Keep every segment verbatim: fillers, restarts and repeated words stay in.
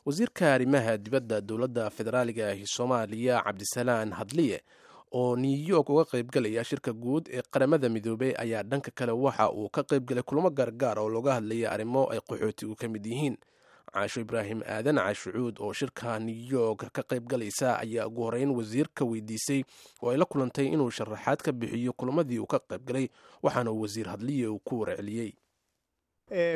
Wasiirka arrimaha dibadda dowladda federaaliga ahi Soomaaliya, Cabdisalaan Hadliye, oo New York uga qaybgalaya shirka guud ee Qaramada Midoobey, ayaa dhanka kale waxa uu ka qaybgalay kulamo gaargaar oo looga hadlaya arrimo ay qaxootigu ka mid yihiin. Caasho Ibraahim Aadan Caashucuud oo shirka New York ka qaybgalaysa ayaa ugu horeyn wasiirka weydiisay oo ay la kulantay inuu sharaxaad ka bixiyo kulamadii uu ka qaybgalay, waxaana uu Wasiir Hadliye uu ku warceliyey.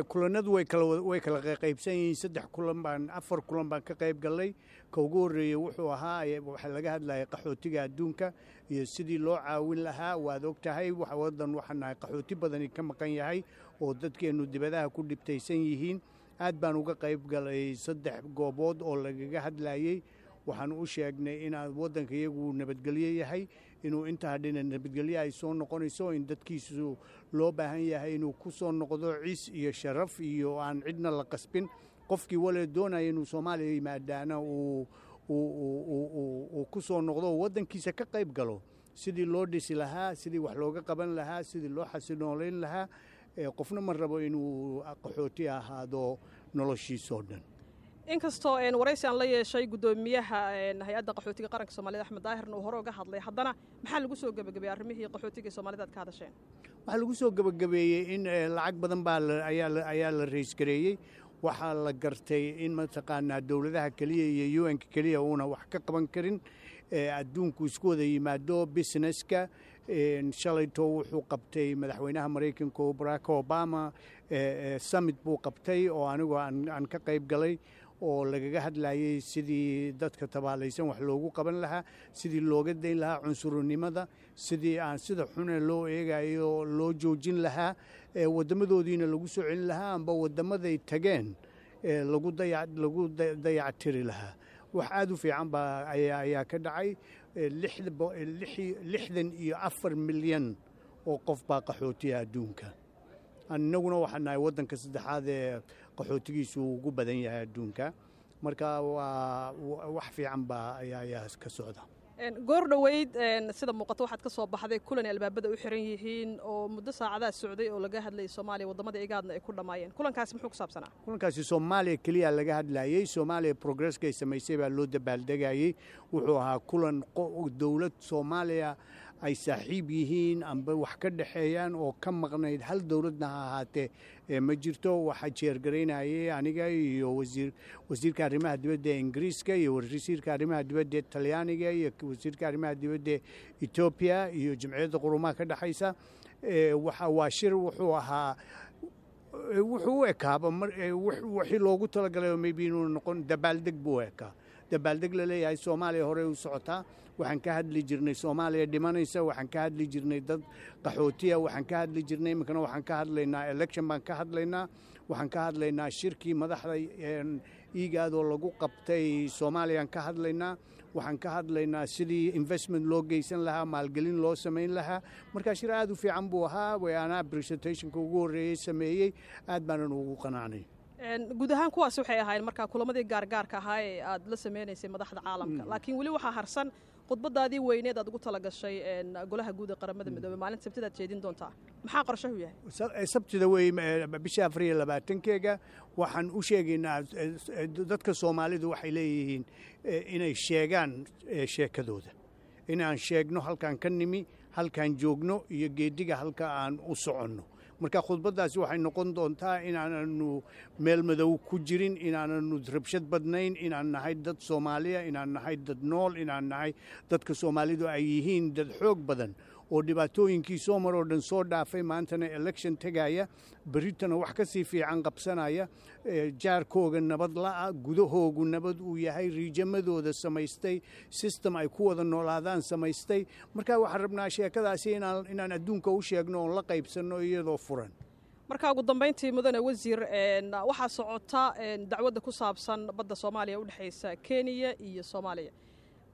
Kulanadu way kala way kala qaybsan yihiin. Saddex kulan baan, afar kulan baan ka qayb gallay. Ka ugu horreeyey wuxuu ahaa, waxaa laga hadlayay qaxootiga adduunka iyo sidii loo caawin lahaa. Waad og tahay, waddan waxaan nahay qaxooti badani ka maqan yahay oo dadkeennu dibadaha ku dhibtaysan yihiin. Aad baan uga qayb galay saddex goobood oo lagaga hadlayey. Waxaan u sheegnay inaan waddanka iyagu nabadgelyo yahay, inuu inta hadhina nabadgelyo ay soo noqonayso, in dadkiisu loo baahan yahay inuu ku soo noqdo ciis iyo sharaf iyo aan cidna la qasbin. Qofkii wale doonaya inuu Soomaaliya yimaadaana uu uu ku soo noqdo oo waddankiisa ka qayb galo sidii loo dhisi lahaa, sidii wax looga qaban lahaa, sidii loo xasinoolayn lahaa. Qofna ma rabo inuu qaxooti ahaado noloshiisoo dhan. Inkastoo waraysi aan la yeeshay guddoomiyaha Hay-adda Qaxootiga Qaranka Soomaalida, Axmed Daahirna, uu hore uga hadlay, haddana maxaa lagu soo gebagabeeyey arrimihii qaxootiga ee Soomaalida aad ka hadasheen? Waxaa lagu soo gebagabeeyey in lacag badan baa ayaa la raise gareeyey. Waxaa la gartay in mataqaanaa dowladaha keliya iyo U N-ka keliya uuna wax ka qaban karin, adduunku isku wada yimaado, businesska. Shalayto wuxuu qabtay madaxweynaha Maraykanka Barack Obama summit buu qabtay oo anigu aan ka qayb galay, oo lagaga hadlayey sidii dadka tabaalaysan wax loogu qaban lahaa, sidii looga dayn lahaa cunsurnimada, sidii aan sida xune loo eegayo loo joojin lahaa, waddamadoodiina lagu soo celin lahaa amba waddamaday tageen lagu lagu dayactiri lahaa. Wax aad u fiican baa ayaa ka dhacay. Lixdan iyo afar milyan oo qof baa qaxootiya adduunka. Annaguna waxaan nahay waddanka saddexaad ee qaxootigiisu ugu badan yahay adduunka. Marka waa wax fiican baa ayaa ka socda. Goor dhoweyd, sida muuqato, waxaad ka soo baxday kulan ay albaabada u xiran yihiin oo muddo saacadaha socday oo laga hadlayay Soomaaliya, waddamada IGADna ay ku dhammaayeen. Kulankaasi muxuu ku saabsanaa? Kulankaasi Soomaaliya keliya laga hadlayey. Soomaaliya progresskay samaysay baa loo dabaaldegayey. Wuxuu ahaa kulan dowlad Soomaaliya ay saaxiib yihiin amba wax ka dhexeeyaan oo ka maqnayd hal dowladna ha ahaatee ma jirto. Waxaa chair garaynayay aniga iyo wasiir wasiirka arrimaha dibadda ee Ingiriiska iyo wasiirka arrimaha dibadda ee Talyaaniga iyo wasiirka arrimaha dibadda ee Etoobiya iyo Jimciyadda Qurumaha ka dhexaysa. Waxa waa shir wuxuu ahaa, wuxuu u ekaaba wixii loogu talagalay oo maybe inuu noqon dabaaldeg buu u ekaa, dabaaldeg la leeyahay Soomaaliya horey u socotaa. Waxaan ka hadli jirnay Soomaaliya dhimanaysa, waxaan ka hadli jirnay dad qaxootiya, waxaan ka hadli jirnay. Iminkana waxaan ka hadlaynaa election baan ka hadlaynaa, waxaan ka hadlaynaa shirkii madaxda IGAD oo lagu qabtay Soomaaliyaan ka hadlaynaa, waxaan ka hadlaynaa sidii investment loo geysan lahaa, maalgelin loo samayn lahaa. Marka shir aad u fiican buu ahaa. Anaa presentationka ugu horreeyey sameeyey, aad baanan ugu qanacnay. Guud ahaan kuwaasi waxay ahaayeen markaa kulamadii gaargaarka ahaa ee aad la sameynaysay madaxda caalamka, laakiin weli waxaa harsan khudbadaadii weyneed aad ugu tala gashay Golaha Guud ee Qaramada Midoobey maalinta Sabtida aad jeedin doontaa. Maxaa qorshahu yahay? Sabtida wey, bisha afar iyo labaatankeega. Waxaan u sheegaynaa dadka Soomaalidu waxay leeyihiin inay sheegaan sheekadooda, inaan sheegno halkaan ka nimi, halkaan joogno iyo geediga halka aan u soconno. Marka khudbaddaasi waxay noqon doontaa inaananu meel madow ku jirin, inaananu rabshad badnayn, inaan nahay dad Soomaaliya, inaan nahay dad nool, inaan nahay dadka Soomaalidu ay yihiin dad xoog badan oo dhibaatooyinkii soo mar oo dhan soo dhaafay, maantana election tegaya, berritana wax ka sii fiican qabsanaya, jaarkooga nabad la'a, gudahoogu nabad uu yahay, regionadooda samaystay, system ay ku wada noolaadaan samaystay. Marka waxaan rabnaa sheekadaasi inaan inaan adduunka u sheegno oon la qaybsanno iyadoo furan. Marka ugu dambayntii, mudane wasiir, waxaa socota dacwadda ku saabsan badda Soomaaliya u dhexaysa Kenya iyo Soomaaliya.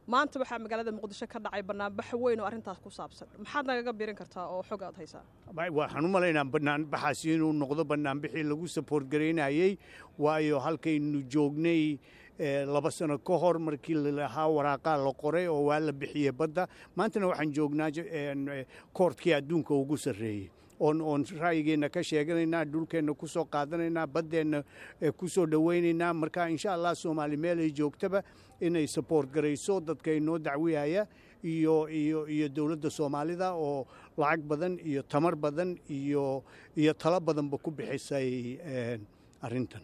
Maanta waxaa magaalada Muqdisho ka dhacay banaanbax weyn oo arrintaas ku saabsan. Maxaad nagaga biirin kartaa oo xog aad haysaa? Waxaan u malaynaa banaanbaxaasi inuu noqdo banaanbixii lagu support garaynayey, waayo halkaynu joognay laba sano ka hor markii lalahaa waraaqaa la qoray oo waa la bixiyey badda, maantana waxaan joognaa courtkii adduunka ugu sarreeyey. Oon oon ra'yigeenna ka sheeganaynaa, dhulkeenna ku soo qaadanaynaa, baddeenna ku soo dhowaynaynaa. Marka insha Allah Soomaali meel ay joogtaba inay support garayso dadka inoo dacwiyaya iyo iyo iyo dowladda Soomaalida oo lacag badan iyo tamar badan iyo iyo talo badanba ku bixisay arrintan.